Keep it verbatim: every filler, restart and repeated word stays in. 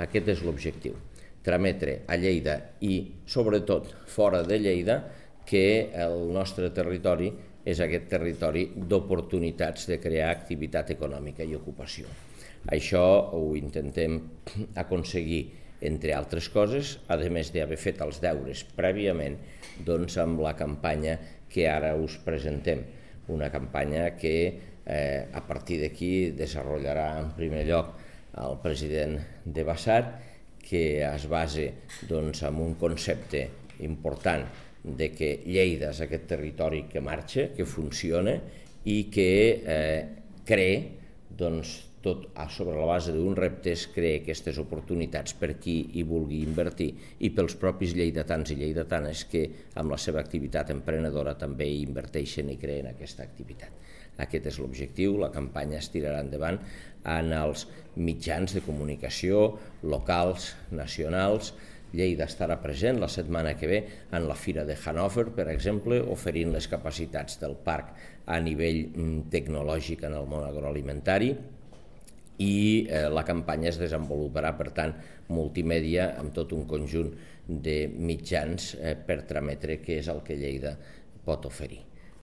Aquest és l'objectiu, trametre a Lleida i, sobretot, fora de Lleida, que el nostre territori és aquest territori d'oportunitats de crear activitat econòmica i ocupació. Això ho intentem aconseguir, entre altres coses, a més d'haver fet els deures prèviament, doncs amb la campanya que ara us presentem. Una campanya que eh, a partir d'aquí desenvoluparà en primer lloc el president de Bassat, que es basa doncs, en un concepte important de que Lleida és aquest territori que marxa, que funciona i que eh, crea, doncs, tot sobre la base d'uns reptes, crea aquestes oportunitats per qui hi vulgui invertir i pels propis lleidatans i lleidatanes que amb la seva activitat emprenedora també hi inverteixen i creen aquesta activitat. Aquest és l'objectiu, la campanya es tirarà endavant en els mitjans de comunicació locals, nacionals. Lleida estarà present la setmana que ve en la Fira de Hannover, per exemple, oferint les capacitats del parc a nivell tecnològic en el món agroalimentari, i eh, la campanya es desenvoluparà, per tant, multimèdia amb tot un conjunt de mitjans eh, per trametre què és el que Lleida pot oferir.